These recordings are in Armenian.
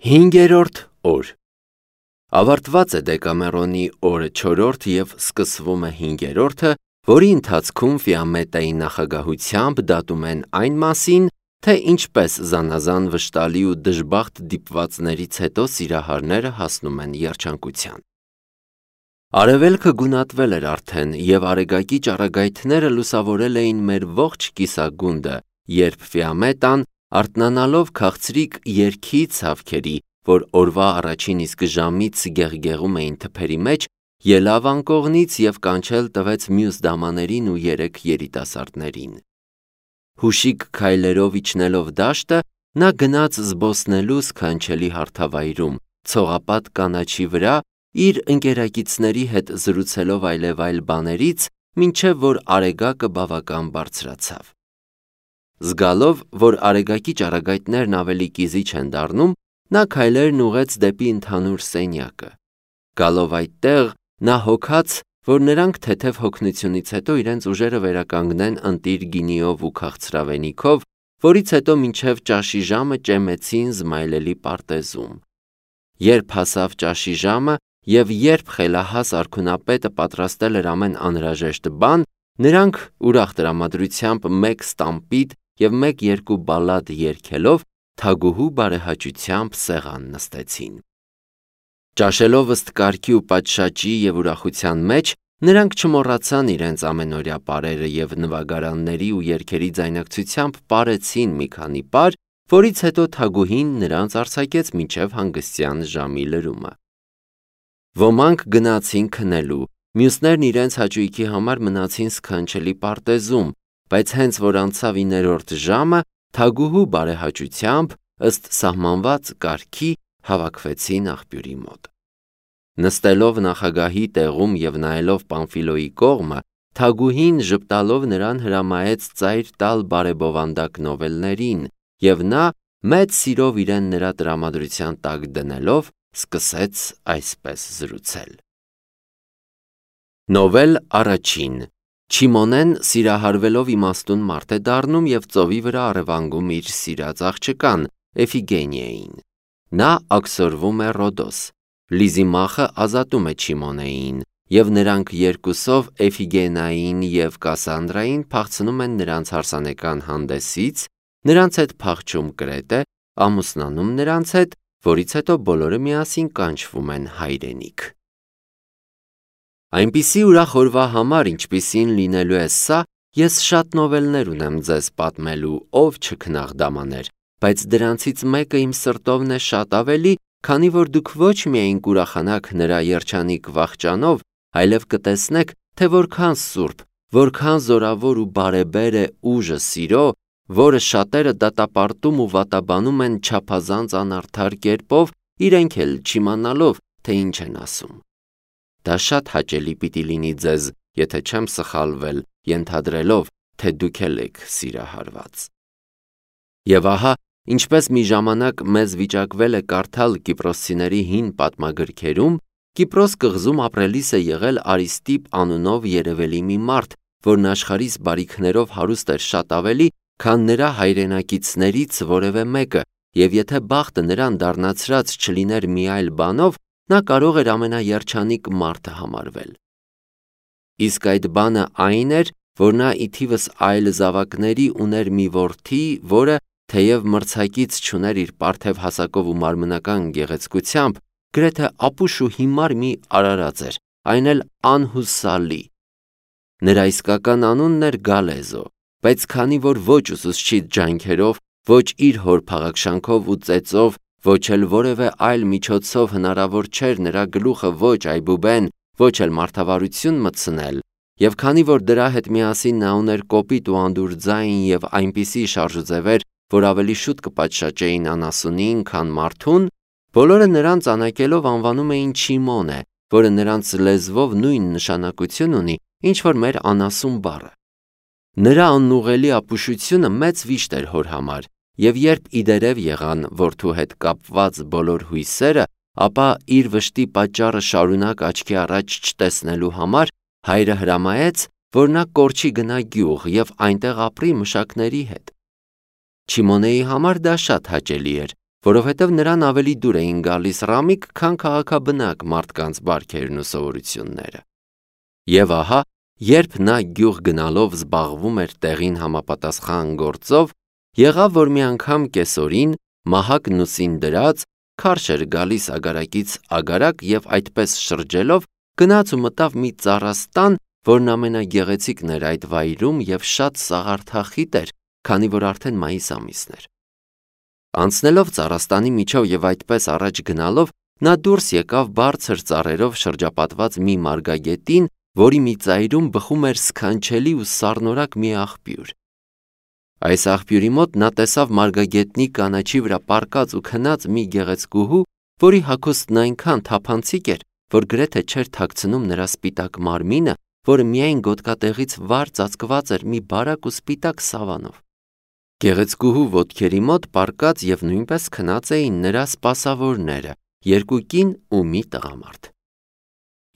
5-րդ օր Ավարտված է Դեկամերոնի օրը 4-րդ և սկսվում է 5-րդը, որի ընթացքում Ֆիամետայի նախագահությամբ դատում են այն մասին, թե ինչպես զանազան վշտալի ու դժբախտ դիպվածներից հետո սիրահարները հասնում են երջանկության։ Արևելքը գունատվել էր արդեն, և արեգակի ճառագայթները լուսավորել էին մեր ողջ կիսագունդը, երբ Ֆիամետան, արթնանալով քաղցրիկ երգի ցավքերի, որ օրվա առաջին իսկ ժամից գեղգեղում էին թփերի մեջ, ելավ անկողնից և կանչել տվեց մյուս դամաներին ու 3 երիտասարդներին։ Հուշիկ քայլերով իջնելով դաշտը, նա գնաց զբոսնելու սքանչելի հարթավայրում, ցողապատ կանաչի վրա, իր ընկերակիցների հետ զրուցելով այլևայլ բաներից, մինչև որ արեգակը բավական բարձրացավ։ Զգալով, որ արեգակի ճառագայթներն ավելի կիզիչ են դառնում, նա քայլերն ուղղեց դեպի ընդհանուր սենյակը։ Գալով այդտեղ, նա հոգաց, որ նրանք թեթև հոգնությունից հետո իրենց ուժերը վերականգնեն ընտիր գինիով ու քաղցրավենիքով, որից հետո մինչև ճաշի ժամը ճեմեցին զմայլելի պարտեզում։ Երբ հասավ ճաշի ժամը և երբ խելահաս արքունապետը պատրաստել էր ամեն անհրաժեշտ բան, նրանք ուրախ տրամադրությամբ մեկ ստամպիտ և մեկ-երկու բալլադ երգելով թագուհու բարեհաճությամբ սեղան նստեցին։ Ճաշելով ըստ կարգի ու պատշաճի և ուրախության մեջ, նրանք չմոռացան իրենց ամենօրյա պարերը և նվագարանների ու երգերի ձայնակցությամբ պարեցին մի քանի պար, որից հետո թագուհին նրանց արձակեց մինչև հանգստյան ժամի լրումը։ Ոմանք գնացին քնելու, մյուսներն իրենց հաճույքի համար մնացին սքանչելի պարտեզում, բայց հենց որ անցավ 9-րդ ժամը, թագուհու բարեհաճությամբ, ըստ սահմանված կարգի, հավաքվեցին աղբյուրի մոտ։ Նստելով նախագահի տեղում և նայելով Պամֆիլոյի կողմը, թագուհին ժպտալով նրան հրամայեց ծայր տալ բարեբովանդակ նովելներին, և նա, մեծ սիրով իրեն նրա տրամադրության տակ դնելով, սկսեց այսպես զրուցել. Նովել առաջին Չիմոնեն սիրահարվելով իմաստուն մարդ է դառնում և ծովի վրա առևանգում իր սիրած աղջկան Էֆիգենիային։ Նա աքսորվում է Ռոդոս։ Լիզիմախը ազատում է Չիմոնեին, և նրանք երկուսով Էֆիգենիային և Կասանդրային փախցնում են նրանց հարսանեկան հանդեսից, նրանց հետ փախչում Կրետե, ամուսնանում նրանց հետ, որից հետո բոլորը միասին կանչվում են հայրենիք։ Այնպիսի ուրախ օրվա համար, ինչպիսին լինելու է սա, ես շատ նովելներ ունեմ ձեզ պատմելու, ով չքնաղդամաներ, բայց դրանցից մեկը իմ սրտովն է շատ ավելի, քանի որ դուք ոչ միայն կուրախանաք նրա երջանիկ վախճանով, այլև կտեսնեք, թե որքան սուրբ, որքան զորավոր ու բարեբեր է ուժը սիրո, որը շատերը դատապարտում ու վատաբանում են չափազանց անարդար կերպով, իրենք էլ չիմանալով, թե ինչ են ասում։ Դա շատ հաճելի պիտի լինի ձեզ, եթե չեմ սխալվել, ենթադրելով, թե դուք էլ եք սիրահարված։ Եվ ահա, ինչպես մի ժամանակ մեզ վիճակվել է կարդալ կիպրոսցիների հին պատմագրքերում, Կիպրոս կղզում ապրելիս է եղել Արիստիպ անունով երևելի մի մարդ, որն աշխարհիս բարիքներով հարուստ էր շատ ավելի, քան նրա հայրենակիցներից որևէ մեկը, և եթե բախտը նրան դառնացրած չլիներ մի այլ բանով, նա կարող էր ամենաերջանիկ մարդը համարվել։ Իսկ այդ բանը այն էր, որ նա ի թիվս այլ զավակների ուներ մի որդի, որը, թեև մրցակից չուներ իր պարթև հասակով ու մարմնական գեղեցկությամբ, գրեթե ապուշ ու հիմար մի արարած էր, այն էլ անհուսալի։ Նրա իսկական անունն էր Գալեզո, բայց քանի որ ոչ ուսուցչի ջանքերով, ոչ իր հոր փաղաքշանքով ու ծեծով, ոչ էլ որևէ այլ միջոցով հնարավոր չէր նրա գլուխը ոչ այբուբեն, ոչ էլ մարդավարություն մտցնել, և քանի որ դրա հետ միասին նա ուներ կոպիտ ու անդուր ձայն և այնպիսի շարժուձևեր, որ ավելի շուտ կպատշաճեին անասունին, քան մարդուն, բոլորը նրան ծանակելով անվանում էին Չիմոնե, որը նրանց լեզվով նույն նշանակություն ունի, ինչ որ մեր անասուն բառը։ Նրա անուղղելի ապուշությունը մեծ վիշտ էր հոր համար, և երբ իդերև եղան որդու հետ կապված բոլոր հույսերը, ապա իր վշտի պատճառը շարունակ աչքի առաջ չտեսնելու համար հայրը հրամայեց, որ նա կորչի գնա գյուղ և այնտեղ ապրի մշակների հետ։ Չիմոնեի համար դա շատ հաճելի էր, որովհետև նրան ավելի դուր էին գալիս ռամիկ, քան քաղաքաբնակ մարդկանց բարքերն ու սովորությունները։ Եվ ահա, երբ նա գյուղ գնալով զբաղվում էր տեղին համապատասխան գործով, եղավ, որ մի անգամ կեսօրին, մահակն ուսին դրած, քարշ էր գալիս ագարակից ագարակ և այդպես շրջելով, գնաց ու մտավ մի ծառաստան, որն ամենագեղեցիկն էր այդ վայրում և շատ սաղարթախիտ էր, քանի որ արդեն մայիս ամիսն էր։ Անցնելով ծառաստանի միջով և այդպես առաջ գնալով, նա դուրս եկավ բարձր ծառերով շրջապատված մի մարգագետին, որի մի ծայրում բխում էր սքանչելի ու սառնորակ մի աղբյուր։ Այս աղբյուրի մոտ նա տեսավ մարգագետնի կանաչի վրա պառկած ու քնած մի գեղեցկուհու, որի հագուստն այնքան թափանցիկ էր, որ գրեթե չէր թաքցնում նրա սպիտակ մարմինը, որը միայն գոտկատեղից վար ծածկված էր մի բարակ ու սպիտակ սավանով։ Գեղեցկուհու ոտքերի մոտ պառկած և նույնպես քնած էին նրա սպասավորները, երկու կին ու մի տղամարդ։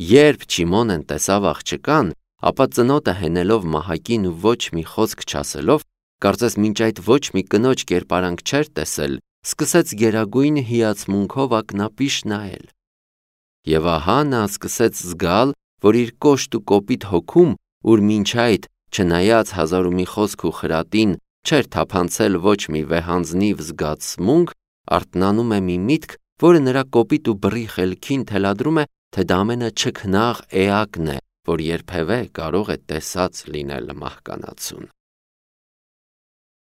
Երբ Չիմոնեն տեսավ աղջկան, ապա ծնոտը հենելով մահակին ու ոչ մի խոսք չասելով, կարծես մինչ այդ ոչ մի կնոջ կերպարանք չէր տեսել, սկսեց գերագույն հիացմունքով ակնապիշ նայել։ Եվ ահա նա սկսեց զգալ, որ իր կոշտ ու կոպիտ հոգում, ուր մինչ այդ, չնայած հազար ու մի խոսք ու խրատին, չէր թափանցել ոչ մի վեհանձնիվ զգացմունք, արթնանում է մի միտք, որը նրա կոպիտ ու բռի խելքին թելադրում է, թե դա ամենաչքնաղ էակն է, որ երբևէ կարող է տեսած լինել մահկանացուն։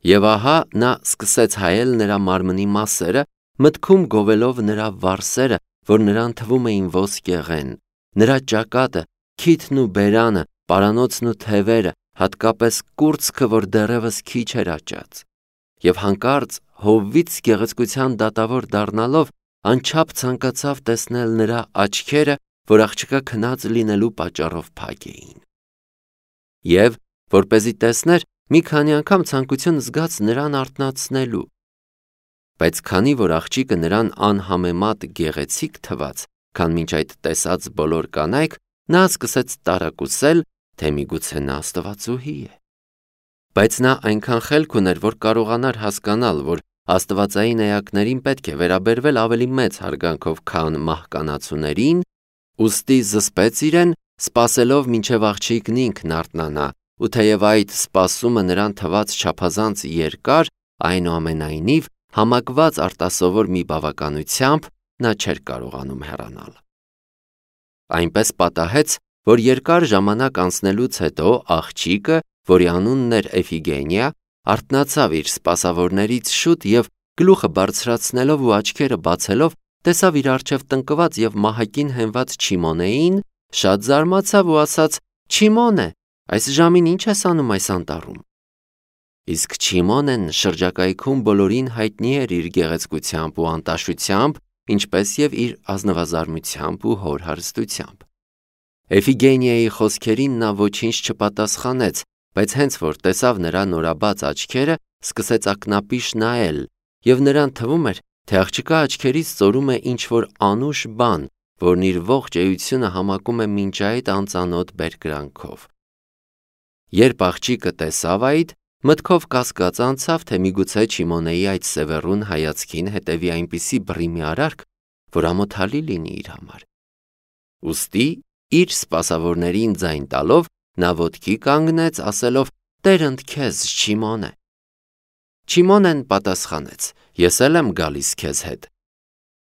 Եվ ահա նա սկսեց հայել նրա մարմնի մասերը, մտքում գովելով նրա վարսերը, որ նրան թվում էին ոսկեղեն, նրա ճակատը, քիթն ու բերանը, պարանոցն ու թևերը, հատկապես կուրծքը, որ դեռևս քիչ էր աճած։ Եվ հանկարծ հովվից գեղեցկության դատավոր դառնալով, անչափ ցանկացավ տեսնել նրա աչքերը, որ աղջկա քնած լինելու պատճառով փակ էին։ Եվ, որպեսզի տեսներ, մի քանի անգամ ցանկություն զգաց նրան արթնացնելու։ Բայց քանի որ աղջիկը նրան անհամեմատ գեղեցիկ թվաց, քան մինչ այդ տեսած բոլոր կանայք, նա սկսեց տարակուսել, թե միգուցե նա աստվածուհի է։ Բայց նա այնքան խելք ուներ, որ կարողանար հասկանալ, որ աստվածային էակներին պետք է վերաբերվել ավելի մեծ հարգանքով, քան մահկանացուներին, ուստի զսպեց իրեն, սպասելով մինչև աղջիկն ինքն արթնանա, ու թեև այդ սպասումը նրան թվաց չափազանց երկար, այնուամենայնիվ, համակված արտասովոր մի բավականությամբ, նա չէր կարողանում հեռանալ։ Այնպես պատահեց, որ երկար ժամանակ անցնելուց հետո աղջիկը, որի անունն էր Էֆիգենիա, արթնացավ իր սպասավորներից շուտ և գլուխը բարձրացնելով ու աչքերը բացելով, տեսավ իր առջև տնկված և մահակին հենված Չիմոնեին, շատ զարմացավ ու ասաց. «Չիմոնե, այս ժամին ինչ ես անում այս անտառում»։ Իսկ Չիմոնեն շրջակայքում բոլորին հայտնի էր իր գեղեցկությամբ ու անտաշությամբ, ինչպես և իր ազնվազարմությամբ ու հոր հարստությամբ։ Էֆիգենիայի խոսքերին նա ոչինչ չպատասխանեց, բայց հենց որ տեսավ նրա նորաբաց աչքերը, սկսեց ակնապիշ նայել, և նրան թվում էր, թե աղջկա աչքերից ծորում է ինչ-որ անուշ բան, որն իր ողջ էությունը համակում է մինչ այդ անծանոթ բերկրանքով։ Երբ աղջիկը տեսավ այդ, մտքով կասկած անցավ, թե միգուցե Չիմոնեի այդ սևեռուն հայացքին հետևի այնպիսի բռի մի արարք, որ ամոթալի լինի իր համար։ Ուստի, իր սպասավորներին ձայն տալով, նա ոտքի կանգնեց, ասելով. «Տերընդ քեզ, Չիմոնե»։ Չիմոնեն պատասխանեց. «Ես էլ եմ գալիս քեզ հետ»։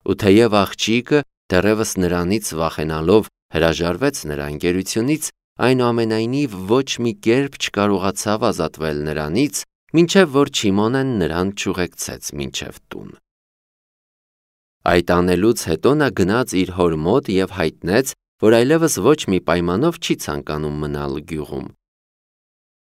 Ու թեև աղջիկը, դեռևս նրանից վախենալով, հրաժարվեց նրա ընկերությունից, այնուամենայնիվ ոչ մի կերպ չկարողացավ ազատվել նրանից, մինչև որ Չիմոնեն նրան չուղեկցեց մինչև տուն։ Այդ անելուց հետո նա գնաց իր հոր մոտ և հայտնեց, որ այլևս ոչ մի պայմանով չի ցանկանում մնալ գյուղում։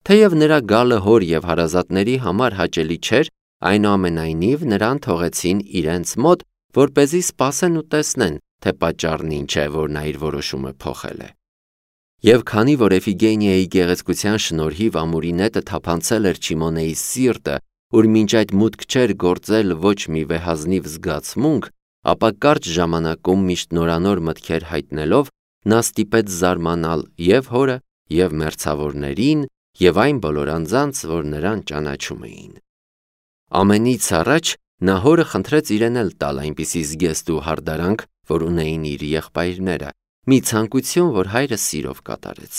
Թեև նրա գալը հոր և հարազատների համար հաճելի չէր, այնուամենայնիվ նրան թողեցին իրենց մոտ, որպեսզի սպասեն ու տեսնեն, թե պատճառն ինչ է, որ նա իր որոշումը փոխել է։ Եվ քանի որ Էֆիգենիայի գեղեցկության շնորհիվ ամուրի նետը թափանցել էր Չիմոնեի սիրտը, ուր մինչ այդ մուտք չէր գործել ոչ մի վեհազնիվ զգացմունք, ապա կարճ ժամանակում միշտ նորանոր մտքեր հայտնելով, նա ստիպեց զարմանալ և հորը, և մերձավորներին, և այն բոլոր անձանց, որ նրան ճանաչում էին։ Ամենից առաջ նա հորը խնդրեց իրեն էլ տալ այնպիսի զգեստ ու հարդարանք, որ ունեին իր եղբայրները, մի ցանկություն, որ հայրը սիրով կատարեց։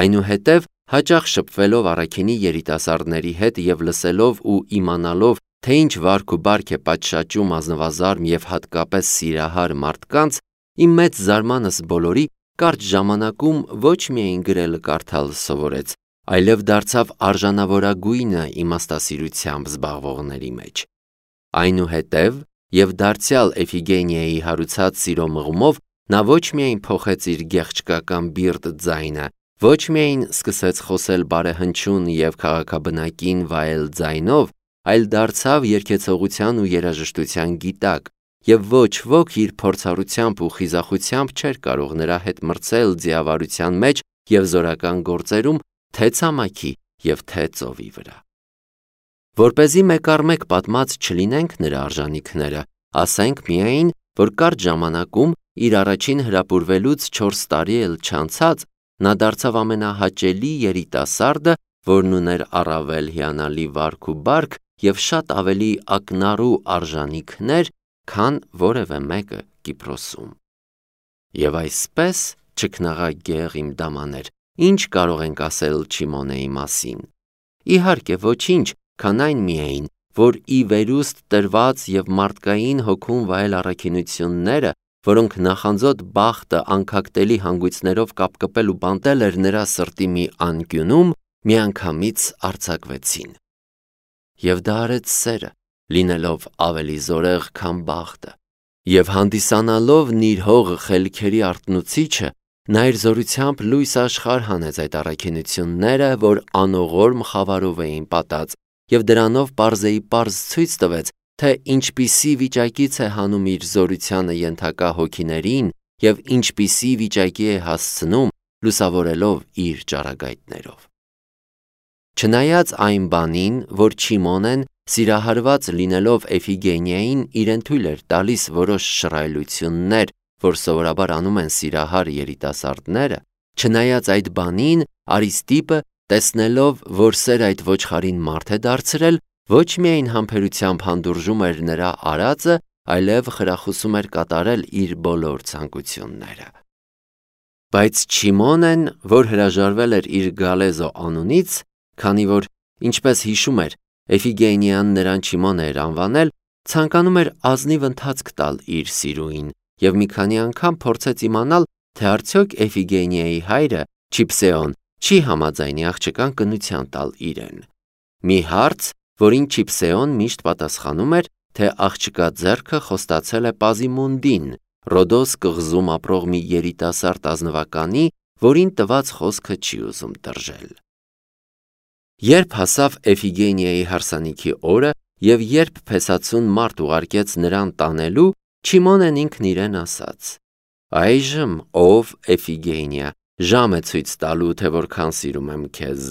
Այնուհետև, հաճախ շփվելով առաքինի երիտասարդների հետ և լսելով ու իմանալով, թե ինչ վարք ու բարք է պատշաճում ազնվազարմ և հատկապես սիրահար մարդկանց, իմ մեծ զարմանս բոլորի կարճ ժամանակում ոչ միայն գրել կարդալ սովորեց, այլև դարձավ արժանավորագույնը իմաստասիրությամբ զբաղվողների մեջ։ Այնուհետև և դարձյալ Էֆիգենիայի հարուցած սիրո մղումով նա ոչ միայն փոխեց իր գեղչկական բիրտ ձայնը, ոչ միայն սկսեց խոսել բարեհնչյուն և քաղաքաբնակին վայել ձայնով, այլ դարձավ երգեցողության ու երաժշտության գիտակ, և ոչ ոք իր փորձառությամբ ու խիզախությամբ չէր կարող նրա հետ մրցել ձիավարության մեջ և զորական գործերում, թե ցամաքի և թե ծովի վրա։ Որպեսզի մեկ առ մեկ պատմած չլինենք նրա արժանիքները, ասենք միայն, որ կարճ ժամանակում իր առաջին հրապուրվելուց 4 տարի էլ չանցած, նա դարձավ ամենահաճելի երիտասարդը, որն ուներ առավել հիանալի վարք ու բարք և շատ ավելի ակնառու արժանիքներ, քան որևէ մեկը Կիպրոսում։ Եվ այսպես, չքնաղագեղ իմ դամաներ, ինչ կարող ենք ասել Չիմոնեի մասին։ Իհարկե ոչինչ, քան այն միայն, որ ի վերուստ տրված և մարդկային հոգում վայել առաքինությունները, որոնք նախանձոտ բախտը անքակտելի հանգույցներով կապկպել ու բանտել էր նրա սրտի մի անկյունում, միանգամից արձակվեցին։ Եվ դա արեց սերը, լինելով ավելի զորեղ, քան բախտը, և հանդիսանալով նիրհող խելքերի արթնուցիչը, նա իր զորությամբ լույս աշխարհ հանեց այդ առաքինությունները, որ անողորմ խավարով էին պատած, և դրանով պարզեիպարզ ցույց տվեց, թե ինչպիսի վիճակից է հանում իր զորությանը ենթակա հոգիներին և ինչպիսի վիճակի է հասցնում, լուսավորելով իր ճառագայթներով։ Չնայած այն բանին, որ Չիմոնեն, սիրահարված լինելով Էֆիգենիային, իրեն թույլ էր տալիս որոշ շռայլություններ, որ սովորաբար անում են սիրահար երիտասարդները, չնայած այդ բանին, Արիստիպը, տեսնելով, որ սեր այդ ոչխարին մարդ է դարձրել, ոչ միայն համբերությամբ հանդուրժում էր նրա արածը, այլև խրախուսում էր կատարել իր բոլոր ցանկությունները։ Բայց Չիմոնեն, որ հրաժարվել էր իր Գալեզո անունից, քանի որ, ինչպես հիշում էր, Էֆիգենիան նրան Չիմոն էր անվանել, ցանկանում էր ազնիվ ընթացք տալ իր սիրուին և մի քանի անգամ փորձեց իմանալ, թե արդյոք Էֆիգենիայի հայրը Չիփսեոն չի համաձայնի աղջկան կնության տալ իրեն։ Մի հարց, որին Չիփսեոն միշտ պատասխանում էր, թե աղջկա ձեռքը խոստացել է Պազիմունդին, Ռոդոս կղզում ապրող մի երիտասարդ ազնվականի, որին տված խոսքը չի ուզում տրջել։ Երբ հասավ Էֆիգենիայի հարսանիքի օրը և երբ փեսացուն մարդ ուղարկեց նրան տանելու, Չիմոնեն ինքն իրեն ասաց. «Այժմ, ով Էֆիգենիա, ժամ է ցույց տալու, թե որքան սիրում եմ քեզ։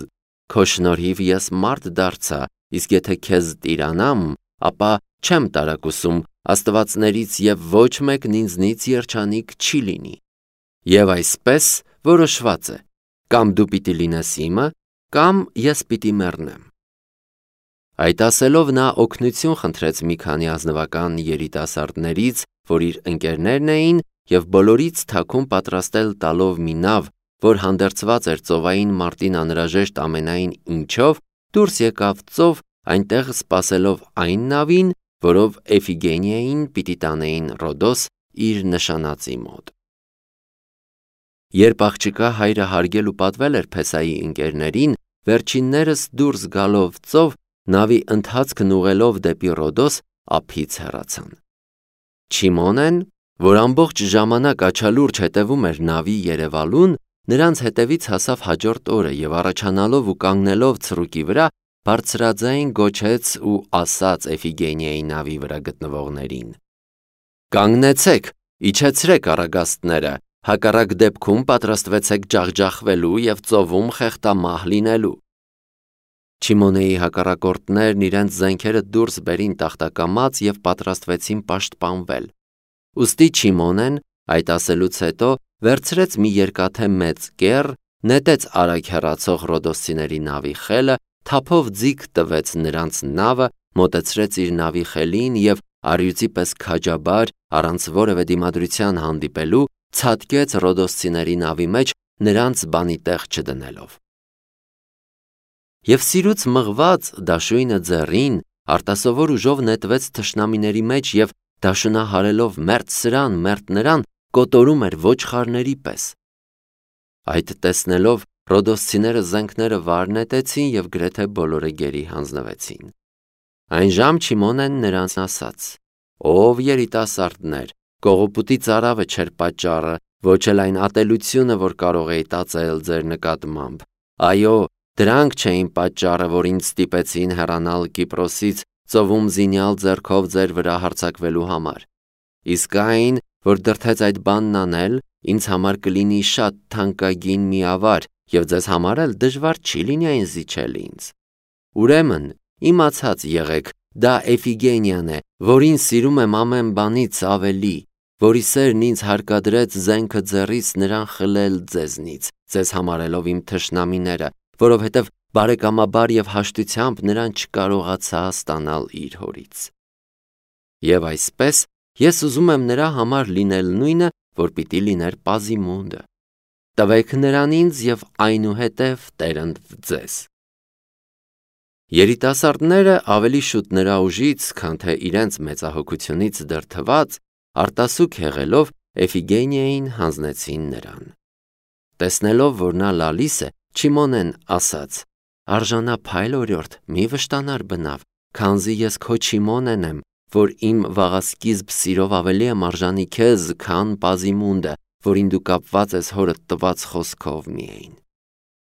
Քո շնորհիվ ես մարդ դարձա, իսկ եթե քեզ տիրանամ, ապա չեմ տարակուսում աստվածներից և ոչ մեկն ինձնից երջանիկ չի լինի։ Եվ այսպես որոշված է, կամ դու պիտի լինես իմը, կամ ես պիտի մեռնեմ»։ Այդ ասելով նա օգնություն խնդրեց մի քանի ազնվական երիտասարդներից, որ իր ընկերներն էին, և բոլորից թաքուն պատրաստել տալով մի նավ, որ հանդերձված էր ծովային մարտին անհրաժեշտ ամենայն ինչով, դուրս եկավ ծով, այնտեղ սպասելով այն նավին, որով Էֆիգենիային պիտի տանեին Ռոդոս իր նշանածի մոտ։ Երբ աղջկա հայրը հարգել ու պատվել էր Փեսայի ընկերներին, վերջիններս դուրս գալով ծով, նավի ընթացքն ուղղելով դեպի Ռոդոս, ափից հեռացան։ Չիմոնեն, որ ամբողջ ժամանակ աչալուրջ հետևում էր նավի երևալուն, նրանց հետևից հասավ հաջորդ օրը և առաջանալով ու կանգնելով ցռուկի վրա, բարձրաձայն գոչեց ու ասաց Էֆիգենիայի նավի վրա գտնվողներին. «Կանգնեցեք, իջեցրեք առագաստները, հակառակ դեպքում պատրաստվեցեք ջախջախվելու և ծովում խեղդամահ լինելու»։ Չիմոնեի հակառակորդներն իրենց զենքերը դուրս բերին տախտակամած և պատրաստվեցին պաշտպանվել։ Ուստի Չիմոնեն, այդ ասելուց հետո, վերցրեց մի երկաթե մեծ կեռ, նետեց արագ հեռացող ռոդոսցիների նավի խելը, թափով ձիգ տվեց նրանց նավը մոտեցրեց իր նավի խելին և առյուծի պես քաջաբար, առանց որևէ դիմադրության հանդիպելու, ցատկեց Ռոդոսցիների նավի մեջ, նրանց բանի տեղ չդնելով։ Եվ սիրուց մղված դաշույնը ձեռին, արտասովոր ուժով նետվեց թշնամիների մեջ և դաշնահարելով մերթ սրան, մերթ նրան, կոտորում էր ոչխարների պես։ Այդ տեսնելով Ռոդոսցիները զենքները վար նետեցին և գրեթե բոլորը գերի հանձնվեցին։ Այն ժամ Չիմոնեն նրանց ասաց. «Ով երիտասարդներ, կողոպուտի ծարավը չէր պատճառը, ոչ էլ այն ատելությունը, որ կարող էի տածել ձեր նկատմամբ։ Այո, դրանք չէին պատճառը, որ ինձ ստիպեցին հեռանալ Կիպրոսից ծովում զինյալ ձեռքով ձեր վրա հարձակվելու համար։ Իսկ այն, որ դրդեց այդ բանն անել, ինձ համար կլինի շատ թանկագին մի ավար, և ձեզ համար էլ դժվար չի լինի այն զիջել ինձ։ Ուրեմն, իմացած եղեք, դա Էֆիգենիան է, որին սիրում եմ ամեն բանից ավելի, որի սերն ինձ հարկադրեց զենքը ձեռիս նրան խլել ձեզնից, ձեզ համարելով իմ թշնամիները, որովհետև բարեկամաբար և հաշտությամբ նրան չկարողացա ստանալ իր հորից։ Եվ այսպես, ես ուզում եմ նրա համար լինել նույնը, որ պիտի լիներ Պազիմոնդը։ Տվեք նրան ինձ և այնուհետև Տերն ձեզ»։ Երիտասարդները ավելի շուտ նրա ուժից, քան թե իրենց մեծահոգությունից դրդված, արտասուք եղելով Էֆիգենիային հանձնեցին նրան։ Տեսնելով, որ նա լալիս է, Չիմոնեն ասաց. «Արժանափայլ օրիորդ, մի վշտանար բնավ, քանզի ես քո Չիմոնեն եմ, որ իմ վաղասկիզբ սիրով ավելի եմ արժանի քեզ, քան Պազիմոնդը, որին դու կապված ես հորդ տված խոսքով միայն»։